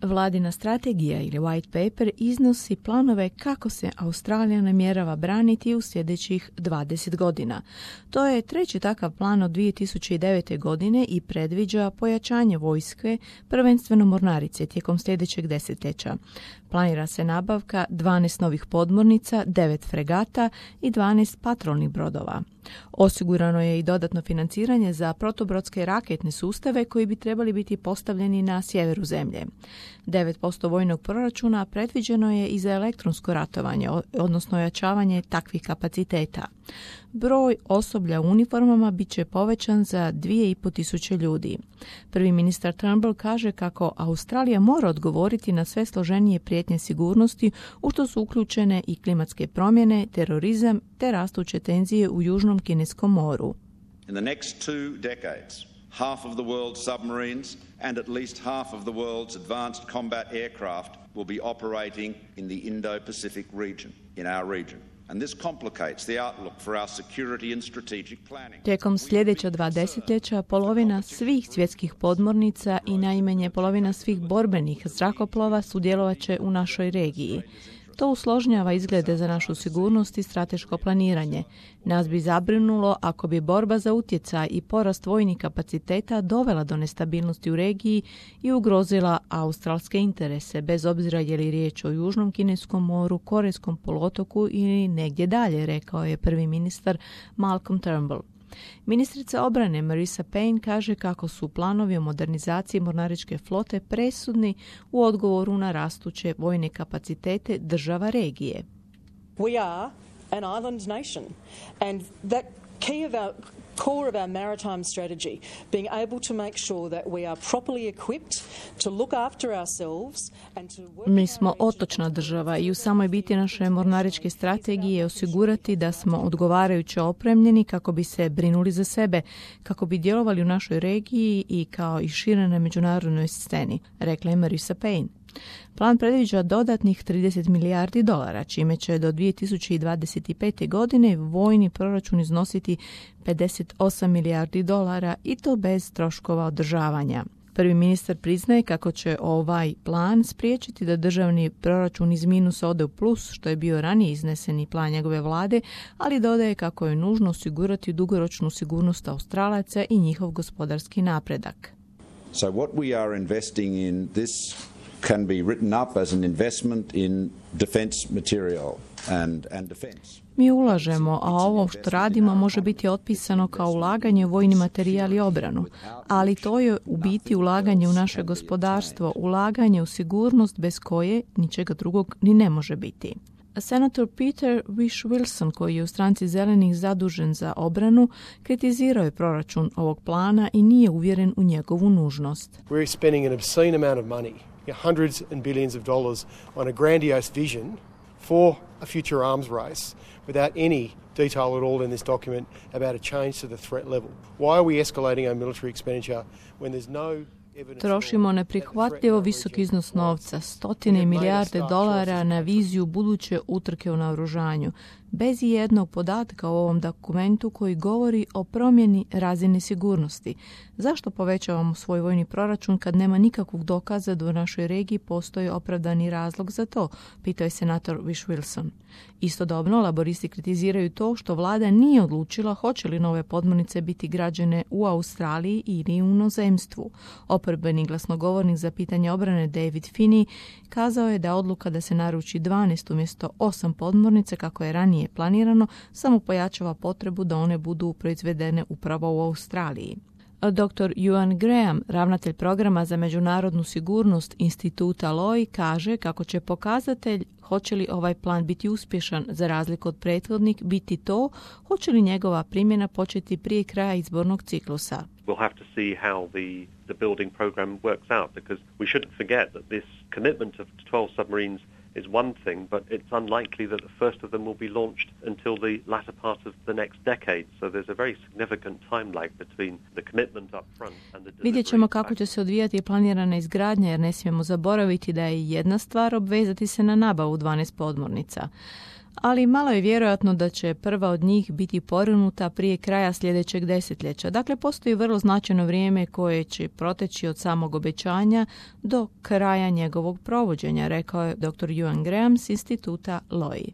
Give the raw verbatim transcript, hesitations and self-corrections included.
Vladina strategija ili white paper iznosi planove kako se Australija namjerava braniti u sljedećih dvadeset godina. To je treći takav plan od dvije tisuće devete. godine i predviđa pojačanje vojske, prvenstveno mornarice, tijekom sljedećeg desetljeća. Planira se nabavka dvanaest novih podmornica, devet fregata i dvanaest patrolnih brodova. Osigurano je i dodatno financiranje za protubrodske raketne sustave koji bi trebali biti postavljeni na sjeveru zemlje. devet posto vojnog proračuna predviđeno je i za elektronsko ratovanje, odnosno ojačavanje takvih kapaciteta. Broj osoblja u uniformama bit će povećan za dvije i pol tisuće ljudi. Prvi ministar Turnbull kaže kako Australija mora odgovoriti na sve složenije prijetnje sigurnosti, u što su uključene i klimatske promjene, terorizam te rastuće tenzije u Južnom Kineskom moru. In the next two decades, half of the world's submarines and at least half of the world's advanced combat aircraft will be operating in the Indo-Pacific region, in our region. And this complicates the outlook for our security and strategic planning. Tijekom sljedeća dva desetljeća polovina svih svjetskih podmornica i najmanje polovina svih borbenih zrakoplova sudjelovat će u našoj regiji. To usložnjava izglede za našu sigurnost i strateško planiranje. Nas bi zabrinulo ako bi borba za utjecaj i porast vojnih kapaciteta dovela do nestabilnosti u regiji i ugrozila australske interese, bez obzira je li riječ o Južnom Kineskom moru, Korejskom poluotoku ili negdje dalje, rekao je prvi ministar Malcolm Turnbull. Ministrica obrane Marisa Payne kaže kako su planovi o modernizaciji mornaričke flote presudni u odgovoru na rastuće vojne kapacitete država regije. We are an island nation and that key of our core of our maritime strategy, being able to make sure that we are properly equipped to look after ourselves and to work. Mi smo otočna država i u samoj biti naše mornaričke strategije je osigurati da smo odgovarajuće opremljeni kako bi se brinuli za sebe, kako bi djelovali u našoj regiji i kao i šire na međunarodnoj sceni, rekla je Marisa Payne. Plan predviđa dodatnih trideset milijardi dolara, čime će do dvije tisuće dvadeset pete. godine vojni proračun iznositi pedeset osam milijardi dolara i to bez troškova održavanja. Prvi ministar priznaje kako će ovaj plan spriječiti da državni proračun iz minusa ode u plus, što je bio ranije izneseni plan njegove vlade, ali dodaje kako je nužno osigurati dugoročnu sigurnost Australaca i njihov gospodarski napredak. So what we are investing in this can be written up as an investment in defense material and and defense. Mi ulažemo, a ovo što radimo može biti otpisano kao ulaganje u vojni materijal i obranu, ali to je u biti ulaganje u naše gospodarstvo, ulaganje u sigurnost bez koje ničega drugog ni ne može biti. Senator Peter Whish-Wilson, koji je u stranci zelenih zadužen za obranu, kritizirao je proračun ovog plana i nije uvjeren u njegovu nužnost. We're spending an obscene amount of money, hundreds and billions of dollars on a grandiose vision for a future arms race without any detail at all in this document about a change to the threat level. Why are we escalating our military expenditure when there's no Trošimo neprihvatljivo visok iznos novca, stotine milijarde dolara na viziju buduće utrke u naoružanju, bez jednog podatka u ovom dokumentu koji govori o promjeni razine sigurnosti. Zašto povećavamo svoj vojni proračun kad nema nikakvog dokaza da u našoj regiji postoji opravdani razlog za to, pitao je senator Whish-Wilson. Istodobno, laboristi kritiziraju to što vlada nije odlučila hoće li nove podmornice biti građene u Australiji ili u inozemstvu. Oporbeni glasnogovornik za pitanje obrane David Finney kazao je da odluka da se naruči dvanaest umjesto osam podmornice kako je ranije planirano samo pojačava potrebu da one budu proizvedene upravo u Australiji. doktor Ewan Graham, ravnatelj programa za međunarodnu sigurnost instituta Lowy, kaže kako će pokazatelj hoće li ovaj plan biti uspješan za razliku od prethodnik biti to hoće li njegova primjena početi prije kraja izbornog ciklusa. We'll have to see how the, the building program works out because we shouldn't forget that this commitment of twelve submarines is one thing, but it's unlikely that the first of them will be launched until the latter part of the next decade. So there's a very significant time lag between the commitment up front and the delivery. Vidjet ćemo kako će se odvijati planirana izgradnja, jer ne smijemo zaboraviti da je jedna stvar obvezati se na nabavu dvanaest podmornica. ali malo je vjerojatno da će prva od njih biti porinuta prije kraja sljedećeg desetljeća. Dakle, postoji vrlo značajno vrijeme koje će proteći od samog obećanja do kraja njegovog provođenja, rekao je doktor Ewan Graham s instituta Lowy.